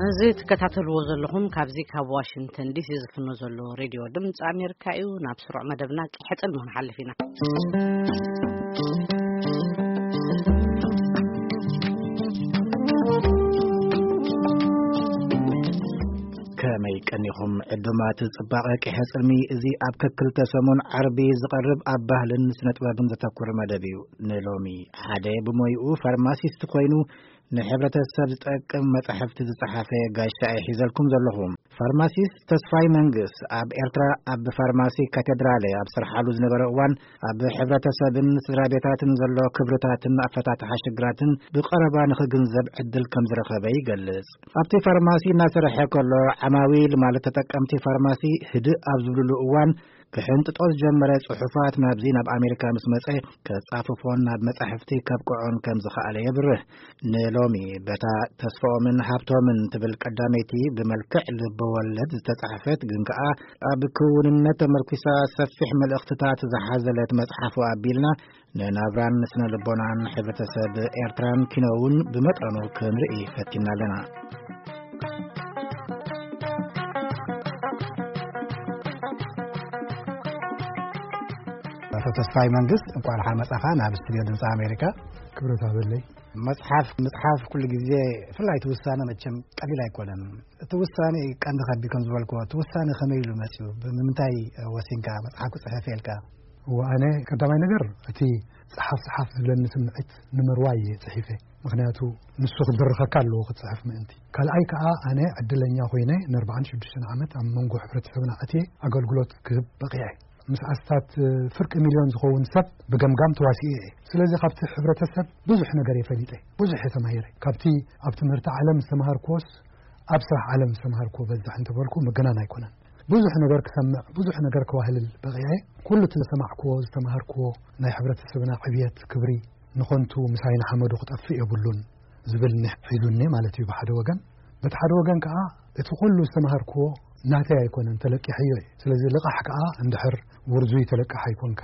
እዚ ትከታተልዎ ዘለኹም ካብዚ ካብ ዋሽንግተን ዲሲ ዝፍኖ ዘሎ ሬድዮ ድምፂ ኣሜሪካ እዩ። ናብ ስሩዕ መደብና ቂሐ ጽልሚ ክንሓልፍ ኢና። ከመይ ቀኒኹም ዕዱማት ጽባቐ ቂሐ ጽልሚ? እዚ ኣብ ከክልተ ሰሙን ዓርቢ ዝቐርብ ኣብ ባህልን ስነ ጥበብን ዘተኩር መደብ እዩ። ንሎሚ ሓደ ብሞይኡ ፋርማሲስት ኮይኑ ንሕብረተሰብ ዝጠቅም መጻሕፍቲ ዝጸሓፈ ጋሻ እየ ሒዘልኩም ዘለኹ። ፋርማሲስት ተስፋይ መንግስ ኣብ ኤርትራ ኣብ ፋርማሲ ካቴድራለ ኣብ ስርሓሉ ዝነበረ እዋን ኣብ ሕብረተሰብን ስድራ ቤታትን ዘሎ ክብርታትን ኣፈታትሓ ሽግራትን ብቐረባ ንኽግንዘብ ዕድል ከም ዝረኸበ ይገልጽ። ኣብቲ ፋርማሲ እናሰርሐ ከሎ ዓማዊል ማለት ተጠቀምቲ ፋርማሲ ህድእ ኣብ ዝብልሉ እዋን ክሕንጥጦ ዝጀመረ ጽሑፋት ናብዚ ናብ ኣሜሪካ ምስ መጸ ከጻፍፎን ናብ መጻሕፍቲ ከብቅዖን ከም ዝኸኣለ የብርህ። ንሎሚ በታ ተስፋኦምን ሃብቶምን ትብል ቀዳመይቲ ብመልክዕ ልበወለድ ዝተጻሕፈት ግን ከኣ ኣብ ክውንነት ተመርኪሳ ሰፊሕ መልእኽትታት ዝሓዘለት መጽሓፉ ኣቢልና ንናብራን ስነ ልቦናን ሕብረተሰብ ኤርትራን ኪኖ እውን ብመጠኑ ክንርኢ ፈቲና ኣለና። ኣቶ ተስፋይ መንግስት፣ እንኳን ደሓን መጻኻ ናብ ስቱድዮ ድምፂ ኣሜሪካ። ክብረት ኣበለይ። መጽሓፍ ምጽሓፍ ኩሉ ግዜ፣ ፍላይ እቲ ውሳነ መቸም ቀሊል ኣይኮነን። እቲ ውሳነ ቀንዲ ከቢድ ከም ዝበልክዎ፣ እቲ ውሳነ ከመይ ኢሉ መጽኡ? ብምንታይ ወሲንካ መጽሓፍ ክጽሕፍ ኢልካ? እወ፣ ኣነ ቀዳማይ ነገር እቲ ጸሓፍ ጸሓፍ ዝብለኒ ስምዒት ንምርዋይ እየ ጽሒፈ። ምኽንያቱ ንሱ ክድርኸካ ኣለዎ ክትጽሕፍ ምእንቲ። ካልኣይ ከኣ ኣነ ዕድለኛ ኮይነ ንኣርባዓን ሽዱሽተን ዓመት ኣብ መንጎ ሕብረተሰብና ኣትየ ኣገልግሎት ክህብ በቒዐ። ምስ ኣስታት ፍርቂ ሚልዮን ዝኸውን ሰብ ብገምጋም ተዋሲኡ እየ። ስለዚ ካብቲ ሕብረተሰብ ብዙሕ ነገር እየ ፈሊጠ፣ ብዙሕ እየ ተማሂረ። ካብቲ ኣብ ትምህርቲ ዓለም ዝተምሃርክዎስ ኣብ ስራሕ ዓለም ዝተምሃርክዎ በዛሕ እንተበልኩ ምግናን ኣይኮነን። ብዙሕ ነገር ክሰምዕ፣ ብዙሕ ነገር ክዋህልል በቒዐ። ኩሉ እቲ ዝሰማዕክዎ፣ ዝተምሃርክዎ ናይ ሕብረተሰብና ዕብየት፣ ክብሪ ንኸንቱ ምሳይ ንሓመዱ ክጠፍእ የብሉን ዝብል ኒሕ ሒዙኒ ማለት እዩ ብሓደ ወገን። በቲ ሓደ ወገን ከኣ እቲ ኩሉ ዝተምሃርክዎ ናተይ ኣይኮነን፣ ተለቂሐዮ እዩ። ስለዚ ልቓሕ ከኣ እንድሕር ውርዙይ ተለቃሓይ ኮንካ፣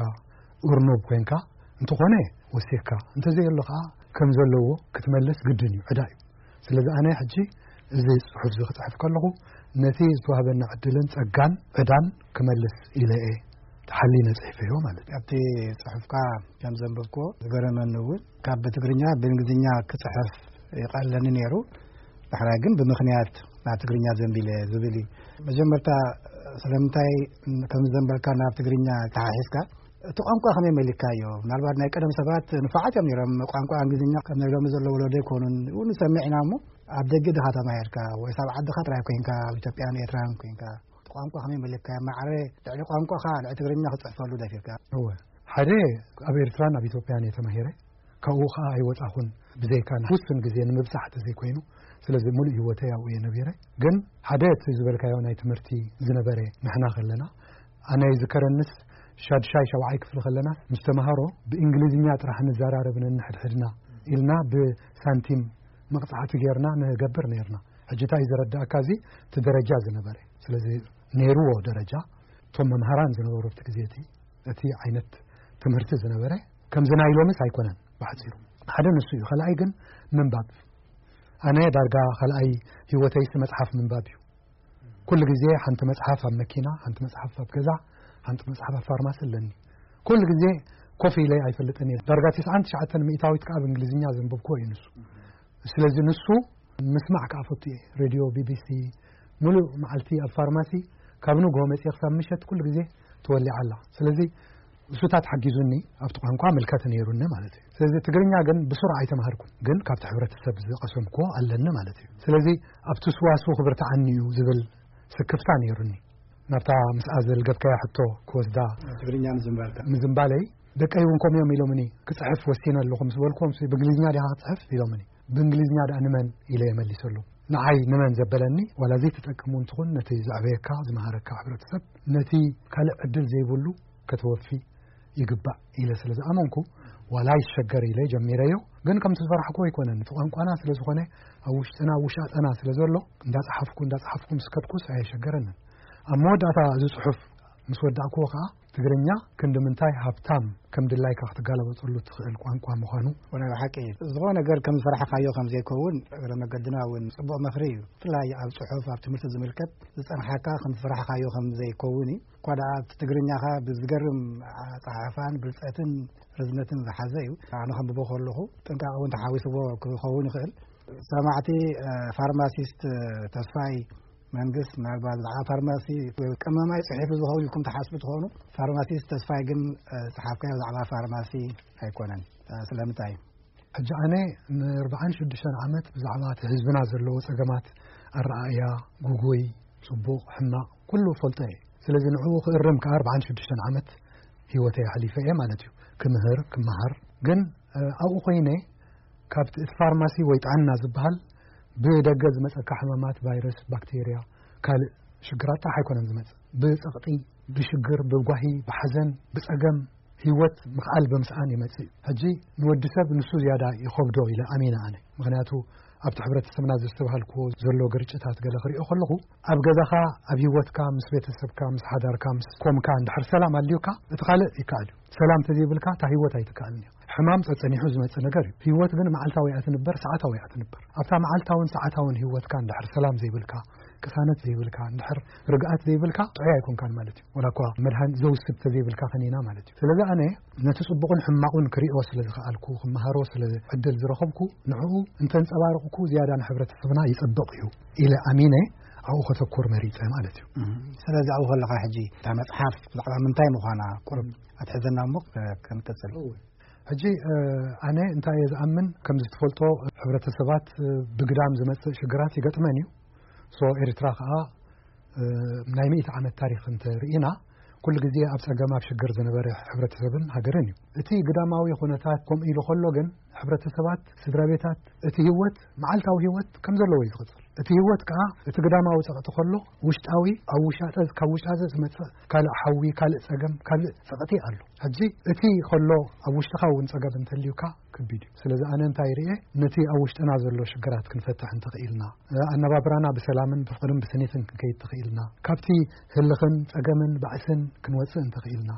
እርኑብ ኮንካ እንተኾነ ወሲኽካ፣ እንተዘየሎ ከኣ ከም ዘለዎ ክትመልስ ግድን እዩ፣ ዕዳ እዩ። ስለዚ ኣነ ሕጂ እዚ ጽሑፍ እዚ ክጽሕፍ ከለኹ ነቲ ዝተዋህበኒ ዕድልን ጸጋን ዕዳን ክመልስ ኢለ እየ ተሓሊነ ጽሒፈዮ ማለት እዩ። ኣብቲ ጽሑፍካ ከም ዘንበብክዎ ዝገረመኒ እውን ካብ ብትግርኛ ብእንግሊዝኛ ክጽሕፍ ይቐለኒ ነይሩ። ዳሕራይ ግን ብምኽንያት ናብ ትግርኛ ዘንቢለ ዝብል እዩ። መጀመርታ ስለምንታይ ከም ዘንበልካ ናብ ትግርኛ ተሓሒዝካ እቲ ቋንቋ ከመይ መሊካዮ? ምናልባት ናይ ቀደም ሰባት ንፋዓት እዮም ነይሮም። ቋንቋ እንግሊዝኛ ከም ናይ ሎሚ ዘሎ ወለዶ ኣይኮኑን። እውን ንሰምዕ ኢና እሞ ኣብ ደገ ድኻ ተማሂርካ ወይስ ኣብ ዓድኻ ጥራይ ኮይንካ ኣብ ኢትዮጵያን ኤርትራን ኮይንካ እቲ ቋንቋ ከመይ መሊካዮ? ማዕረ ልዕሊ ቋንቋኻ ልዕሊ ትግርኛ ክትጽሕፈሉ ደፊርካ? እወ፣ ሓደ ኣብ ኤርትራን ኣብ ኢትዮጵያን እየ ተማሂረ። ካብኡ ኸኣ ኣይወጻኹን፣ ብዘይካ ንውሱን ግዜ ንምብጻሕ ተዘይኮይኑ። ስለዚ ሙሉእ ህይወተይ ኣብኡ እየ ነቢረ። ግን ሓደ እቲ ዝበልካዮ ናይ ትምህርቲ ዝነበረ ንሕና ከለና፣ ኣነ ይዝከረንስ ሻድሻይ ሻብዓይ ክፍሊ ከለና ምስ ተምሃሮ ብእንግሊዝኛ ጥራሕ ንዘራረብ ነንሕድሕድና ኢልና ብሳንቲም መቕጻዕቲ ጌርና ንገብር ነይርና። ሕጂ እንታይ እዩ ዘረዳእካ? እዚ እቲ ደረጃ ዝነበረ፣ ስለዚ ነይርዎ ደረጃ እቶም መምሃራን ዝነበሩ ኣብቲ ግዜ እቲ፣ እቲ ዓይነት ትምህርቲ ዝነበረ ከምዚ ናይ ሎምስ ኣይኮነን። ብሓጺሩ ሓደ ንሱ እዩ። ካልኣይ ግን ምንባብ። ኣነ ዳርጋ ካልኣይ ህይወተይስ መጽሓፍ ምንባብ እዩ። ኩሉ ግዜ ሓንቲ መጽሓፍ ኣብ መኪና፣ ሓንቲ መጽሓፍ ኣብ ገዛ፣ ሓንቲ መጽሓፍ ኣብ ፋርማሲ ኣለኒ። ኩሉ ግዜ ኮፍ ኢለ ኣይፈልጥን እየ። ዳርጋ ትስዓን ትሽዓተን ሚእታዊት ከኣ ብእንግሊዝኛ ዘንበብክዎ እዩ ንሱ። ስለዚ ንሱ ምስማዕ ከኣ ፈቱ እየ። ሬድዮ ቢ ቢ ሲ፣ ሙሉእ መዓልቲ ኣብ ፋርማሲ፣ ካብ ንግሆ መጺኤ ክሳብ ምሸት ኩሉ ግዜ ተወሊዓ ኣላ። ስለዚ እሱታት ሓጊዙኒ፣ ኣብቲ ቋንቋ ምልከት ነይሩኒ ማለት እዩ። ስለዚ ትግርኛ ግን ብስሩዕ ኣይተማሃርኩን፣ ግን ካብቲ ሕብረተሰብ ዝቐሰምክዎ ኣለኒ ማለት እዩ። ስለዚ ኣብቲ ስዋስው ክብርትዓኒ እዩ ዝብል ስክፍታ ነይሩኒ። ናብታ ምስኣ ዘልገብካያ ሕቶ ክወስዳ ትግርኛ ምዝንባልካ። ምዝንባለይ፣ ደቀይ እውን ከምኡ እዮም ኢሎምኒ። ክጽሕፍ ወሲነ ኣለኹ ምስ በልኩዎም፣ "ብእንግሊዝኛ ዲኻ ክጽሕፍ?" ኢሎምኒ። "ብእንግሊዝኛ ደኣ ንመን?" ኢለ እየ መሊሰሎም። ንዓይ ንመን ዘበለኒ፣ ዋላ ዘይትጠቅም እውን ትኹን፣ ነቲ ዘዕበየካ፣ ዝመሃረካ ሕብረተሰብ፣ ነቲ ካልእ ዕድል ዘይብሉ ከተወፊ ይግባእ ኢለ ስለ ዝኣመንኩ፣ ዋላ ይሸገር ኢለ ጀሚረዮ። ግን ከምቲ ዝፈራሕኩ ኣይኮነን። እቲ ቋንቋና ስለ ዝኾነ፣ ኣብ ውሽጥና፣ ኣብ ውሻጠና ስለ ዘሎ፣ እንዳጸሓፍኩ፣ እንዳጸሓፍኩ ምስ ከድኩስ ኣየሸገረንን። ኣብ መወዳእታ እዚ ጽሑፍ ምስ ወዳእክዎ ከኣ ትግርኛ ክንዲ ምንታይ ሃብታም፣ ከም ድላይካ ክትጋለበጠሉ ትኽእል ቋንቋ ምዃኑ። ወላ ብሓቂ እዩ። ዝኾነ ነገር ከም ዝፈራሕካዮ ከም ዘይከውን እግረ መገድና እውን ጽቡቕ ምኽሪ እዩ። ብፍላይ ኣብ ጽሑፍ፣ ኣብ ትምህርቲ ዝምልከት ዝጸንሓካ ከም ዝፈራሕካዮ ከም ዘይከውን እዩ። እኳ ደኣ ኣብቲ ትግርኛኻ ብዝገርም ኣጸሓሕፋን ብልጸትን ርዝነትን ዝሓዘ እዩ። ኣነ ከንብቦ ከለኹ ጥንቃቐ እውን ተሓዊስዎ ክኸውን ይኽእል። ሰማዕቲ፣ እ፣ ፋርማሲስት ተስፋይ መንግስት፣ ምናልባት ብዛዕባ ፋርማሲ ወይ ቀመማይ ጽሒፉ ዝኸውን ኢልኩም ትሓስቡ ትኾኑ። ፋርማሲስት ተስፋይ ግን፣ እ፣ ዝጸሓፍካዮ ብዛዕባ ፋርማሲ ኣይኮነን። እ፣ ስለምንታይ? ሕጂ ኣነ ንኣርባዓን ሽዱሽተን ዓመት ብዛዕባ እቲ ህዝብና ዘለዎ ጸገማት፣ ኣረኣእያ፣ ጉጉይ፣ ጽቡቕ፣ ሕማቕ፣ ኩሉ ፈልጦ እየ። ስለዚ ንዕኡ ክእርም ከኣ ኣርባዓን ሽዱሽተን ዓመት ህይወተይ ኣሕሊፈ እየ ማለት እዩ። ክምህር፣ ክመሃር። ግን፣ እ፣ ኣብኡ ኮይነ ካብቲ እቲ ፋርማሲ ወይ ጥዕና ዝበሃል ብደገ ዝመጸካ ሕማማት፣ ቫይረስ፣ ባክቴርያ፣ ካልእ ሽግራት ጥራሕ ኣይኮነን ዝመጽእ። ብጸቕጢ፣ ብሽግር፣ ብጓሂ፣ ብሓዘን፣ ብጸገም፣ ህይወት ምኽኣል ብምስኣን ይመጽእ እዩ። ሕጂ ንወዲ ሰብ ንሱ ዝያዳ ይኸብዶ ኢለ ኣሚነ ኣነ። ምኽንያቱ ኣብቲ ሕብረተሰብና ዘስተብሃልክዎ ዘሎ ግርጭታት ገለ ክሪኦ ከለኹ፣ ኣብ ገዛኻ፣ ኣብ ህይወትካ፣ ምስ ቤተሰብካ፣ ምስ ሓዳርካ፣ ምስ ኮምካ እንድሕር ሰላም ኣልዩካ፣ እቲ ካልእ ይከኣል እዩ። ሰላም ተዘይብልካ እታ ህይወት ኣይትከኣልን እያ። ሕማም ጸጸኒሑ ዝመጽእ ነገር እዩ። ህይወት ግን መዓልታዊ እያ ትንበር፣ ሰዓታዊ እያ ትንበር። ኣብታ መዓልታውን ሰዓታውን ህይወትካ እንድሕር ሰላም ዘይብልካ፣ ቅሳነት ዘይብልካ፣ እንድሕር ርግኣት ዘይብልካ፣ ጥዑይ ኣይኮንካን ማለት እዩ። ወላ እኳ መድሃኒት ዘውስድ ተዘይብልካ ከኒና ማለት እዩ። ስለዚ ኣነ ነቲ ጽቡቕን ሕማቑን ክሪኦ ስለ ዝኸኣልኩ፣ ክመሃሮ ስለ ዕድል ዝረኸብኩ፣ ንዕኡ እንተንጸባረቕኩ ዝያዳ ንሕብረተሰብና ይጸብቕ እዩ ኢለ ኣሚነ ኣብኡ ከተኩር መሪጸ ማለት እዩ። እም፣ ስለዚ ኣብኡ ከለኻ ሕጂ እታ መጽሓፍ ብዛዕባ ምንታይ ምዃና ቁሩብ ኣትሕዘና እሞ ከ-፣ ክንቅጽል። እወ። ሕጂ፣ እ፣ ኣነ እንታይ እየ ዝኣምን፣ ከም ዝትፈልጦ ሕብረተሰባት፣ እ፣ ብግዳም ዝመጽእ ሽግራት ይገጥመን እዩ። ሶ ኤርትራ ከኣ፣ እ፣ ናይ ሚእቲ ዓመት ታሪኽ እንተ ርኢና፣ ኩሉ ግዜ ኣብ ጸገም ኣብ ሽግር ዝነበረ ሕብረተሰብን ሃገርን እዩ። እቲ ግዳማዊ ኩነታት ከምኡ ኢሉ ከሎ ግን ሕብረተሰባት፣ ስድራ ቤታት፣ እቲ ህይወት፣ መዓልታዊ ህይወት ከም ዘለዎ እዩ ዝቕጽል። እቲ ህይወት ከኣ እቲ ግዳማዊ ጸቕጢ ከሎ ውሽጣዊ፣ ኣብ ውሻጠ፣ ካብ ውሻጠ ዝመጽእ ካልእ ሓዊ፣ ካልእ ጸገም፣ ካልእ ጸቕጢ ኣሎ። ሕጂ እቲ ከሎ ኣብ ውሽጥኻ እውን ጸገም እንተልዩካ ከቢድ እዩ። ስለዚ ኣነ እንታይ ርእየ፣ ነቲ ኣብ ውሽጥና ዘሎ ሽግራት ክንፈትሕ እንተኽኢልና፣ ኣነባብራና ብሰላምን ብፍቕርን ብስኒትን ክንከይድ ተኽኢልና፣ ካብቲ ህልኽን ጸገምን ባእስን ክንወጽእ እንተኽኢልና፣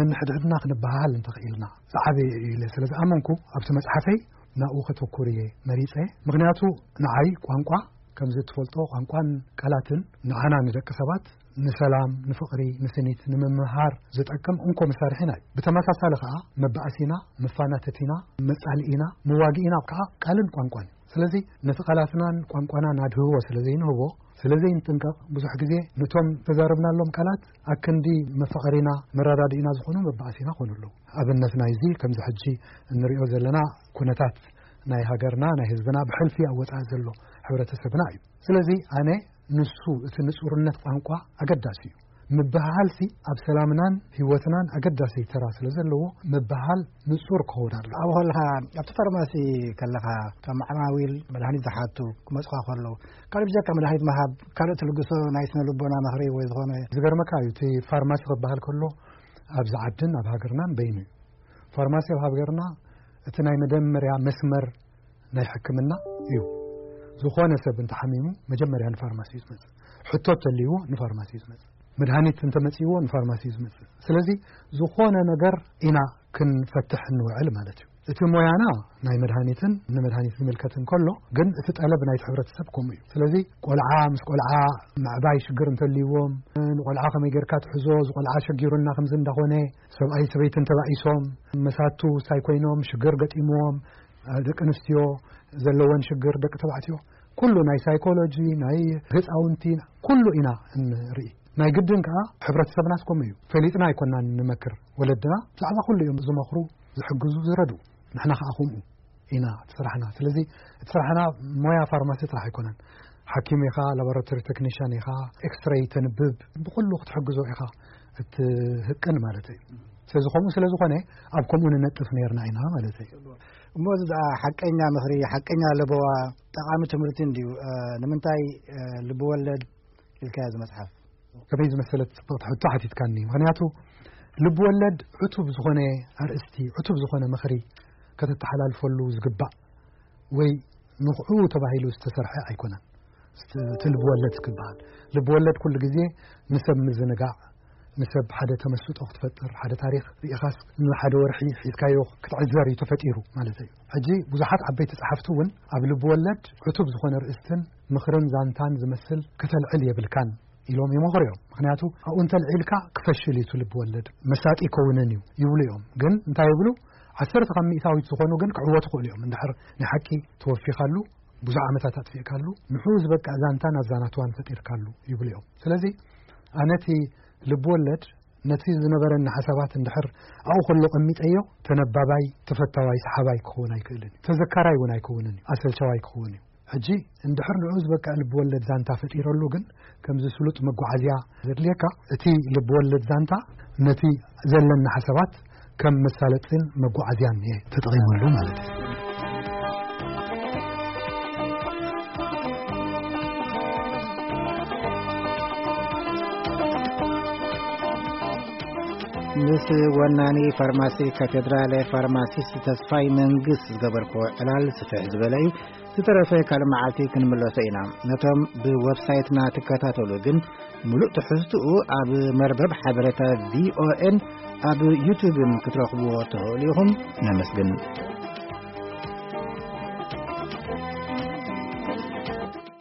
ነንሕድሕድና ክንበሃሃል እንተኽኢልና፣ ዝዓበየ እዩ ኢለ ስለ ዝኣመንኩ ኣብቲ መጽሓፈይ ናብኡ ከተኩር እየ መሪጸ። ምኽንያቱ ንዓይ ቋንቋ ከምዚ እትፈልጦ ቋንቋን ቃላትን ንዓና ንደቂ ሰባት ንሰላም፣ ንፍቕሪ፣ ንስኒት፣ ንምምሃር ዝጠቅም እንኮ መሳርሒና እዩ። ብተመሳሳሊ ከኣ መባእሲና፣ መፋናተቲና፣ መጻልኢና፣ መዋግኢና ከኣ ቃልን ቋንቋን እዩ። ስለዚ ነቲ ቃላትናን ቋንቋናን ኣድህቦ ስለ ዘይንህቦ፣ ስለ ዘይንጥንቀቕ፣ ብዙሕ ግዜ ነቶም ተዛረብናሎም ቃላት ኣክንዲ መፋቐሪና፣ መረዳድኢና ዝኾኑ መባእሲና ኮኑ ኣለዉ። ኣብነት ናይዚ ከምዚ ሕጂ እንሪኦ ዘለና ኩነታት ናይ ሃገርና፣ ናይ ህዝብና ብሕልፊ ኣብ ወጻኢ ዘሎ ሕብረተሰብና እዩ። ስለዚ ኣነ ንሱ እቲ ንጹርነት ቋንቋ ኣገዳሲ እዩ። ምብህሃልሲ ኣብ ሰላምናን ህይወትናን ኣገዳሲ ተራ ስለ ዘለዎ ምብህሃል ንጹር ክኸውን ኣለዎ። ኣብኡ ከለኻ ኣብቲ ፋርማሲ ከለኻ እቶም ዓማዊል መድሃኒት ዝሓቱ ክመጹኻ ከለዉ ካልእ ብጀካ መድሃኒት ምሃብ ካልእ ትልግሶ ናይ ስነ ልቦና ምኽሪ ወይ ዝኾነ ዝገርመካ እዩ። እቲ ፋርማሲ ክበሃል ከሎ ኣብዚ ዓድን ኣብ ሃገርናን በይኑ እዩ። ፋርማሲ ኣብ ሃገርና እቲ ናይ መደመርያ መስመር ናይ ሕክምና እዩ። ዝኾነ ሰብ እንተሓሚሙ መጀመርያ ንፋርማሲ እዩ ዝመጽእ። ሕቶ እንተልይዎ ንፋርማሲ እዩ ዝመጽእ። መድሃኒት እንተመጽእዎ ንፋርማሲ እዩ ዝመጽእ። ስለዚ ዝኾነ ነገር ኢና ክንፈትሕ እንውዕል ማለት እዩ። እቲ ሞያና ናይ መድሃኒትን ንመድሃኒት ዝምልከትን ከሎ ግን እቲ ጠለብ ናይቲ ሕብረተሰብ ከምኡ እዩ። ስለዚ ቆልዓ ምስ ቆልዓ ምዕባይ ሽግር እንተልይዎም፣ ንቆልዓ ከመይ ጌርካ ትሕዞ፣ እዚ ቆልዓ ሸጊሩና ከምዚ እንዳኾነ፣ ሰብኣይ ሰበይትን ተባኢሶም፣ መሳቱ ሳይ ኮይኖም ሽግር ገጢምዎም፣ ደቂ ኣንስትዮ ዘለወን ሽግር፣ ደቂ ተባዕትዮ፣ ኩሉ ናይ ሳይኮሎጂ፣ ናይ ህፃውንቲ፣ ኩሉ ኢና እንርኢ። ናይ ግድን ከዓ ሕብረተሰብናስ ከምኡ እዩ። ፈሊጥና ኣይኮናን ንመክር። ወለድና ብዛዕባ ኩሉ እዮም ዝመኽሩ፣ ዝሕግዙ፣ ዝረድኡ። ንሕና ከዓ ከምኡ ኢና እቲ ስራሕና። ስለዚ እቲ ስራሕና ሞያ ፋርማሲ ጥራሕ ኣይኮነን። ሓኪም ኢኻ፣ ላቦራቶሪ ቴክኒሽያን ኢኻ፣ ኤክስሬይ ተንብብ፣ ብኩሉ ክትሕግዞ ኢኻ እትህቅን ማለት እዩ። ስለዚ ከምኡ ስለ ዝኾነ ኣብ ከምኡ ንነጥፍ ነርና ኢና ማለት እዩ። እሞ እዚ ደኣ ሓቀኛ ምኽሪ፣ ሓቀኛ ለበዋ፣ ጠቓሚ ትምህርቲ እንድዩ። እ፣ ንምንታይ፣ እ፣ ልብወለድ ኢልካዮ እዚ መጽሓፍ? ከመይ ዝመሰለት ጽብቕቲ ሕቶ ሓቲትካኒ። ምኽንያቱ ልብወለድ ዕቱብ ዝኾነ ኣርእስቲ፣ ዕቱብ ዝኾነ ምኽሪ ከተተሓላልፈሉ ዝግባእ ወይ ንኽዑ ተባሂሉ ዝተሰርሐ ኣይኮነን። እቲ ልብወለድ ክበሃል፣ ልብወለድ ኩሉ ግዜ ንሰብ ምዝንጋዕ፣ ንሰብ ሓደ ተመስጦ ክትፈጥር፣ ሓደ ታሪኽ ርኢኻስ ንሓደ ወርሒ ሒዝካዮ ክትዕዘር እዩ ተፈጢሩ ማለት እዩ። ሕጂ ብዙሓት ዓበይቲ ጸሓፍቲ እውን ኣብ ልብ ወለድ ዕቱብ ዝኾነ ርእስትን ምኽርን ዛንታን ዝመስል ከተልዕል የብልካን ኢሎም ይመኽሩ እዮም። ምኽንያቱ ኣብኡ እንተልዒልካ ክፈሽል እዩ እቲ ልብ ወለድ፣ መሳጢ ይከውንን እዩ ይብሉ እዮም። ግን እንታይ ይብሉ? ዓሰርተ ካብ ሚእታዊት ዝኾኑ ግን ክዕወቱ ክእሉ እዮም። እንድሕር ናይ ሓቂ ተወፊኻሉ፣ ብዙሕ ዓመታት ኣጥፊእካሉ፣ ንዕኡ ዝበቅዕ ዛንታን ኣዛናትዋን ፈጢርካሉ ይብሉ እዮም። ስለዚ ኣነ እቲ ልብ ወለድ ነቲ ዝነበረኒ ሓሳባት እንድሕር ኣብኡ ከሎ ቀሚጠዮ፣ ተነባባይ፣ ተፈታዋይ፣ ሰሓባይ ክኸውን ኣይክእልን እዩ። ተዘካራይ እውን ኣይከውንን እዩ። ኣሰልቻዋይ ክኸውን እዩ። ሕጂ እንድሕር ንዕኡ ዝበቅዕ ልብ ወለድ ዛንታ ፈጢረሉ ግን፣ ከምዚ ስሉጥ መጓዓዝያ ዘድልየካ፣ እቲ ልብ ወለድ ዛንታ ነቲ ዘለኒ ሓሳባት ከም መሳለጥን መጓዓዝያን እየ ተጠቒመሉ ማለት እዩ። ምስ ወናኒ ፋርማሲ ካቴድራል ፋርማሲስት ተስፋይ መንግስት ዝገበርክዎ ዕላል ስፍሕ ዝበለ እዩ። ዝተረፈ ካልእ መዓልቲ ክንምለሶ ኢና። ነቶም ብወብሳይትና ትከታተሉ ግን፣ ምሉእ ትሕዝትኡ ኣብ መርበብ ሓበሬታ ቪኦኤን ኣብ ዩቱብን ክትረኽብዎ ትኽእሉ ኢኹም። ነመስግን።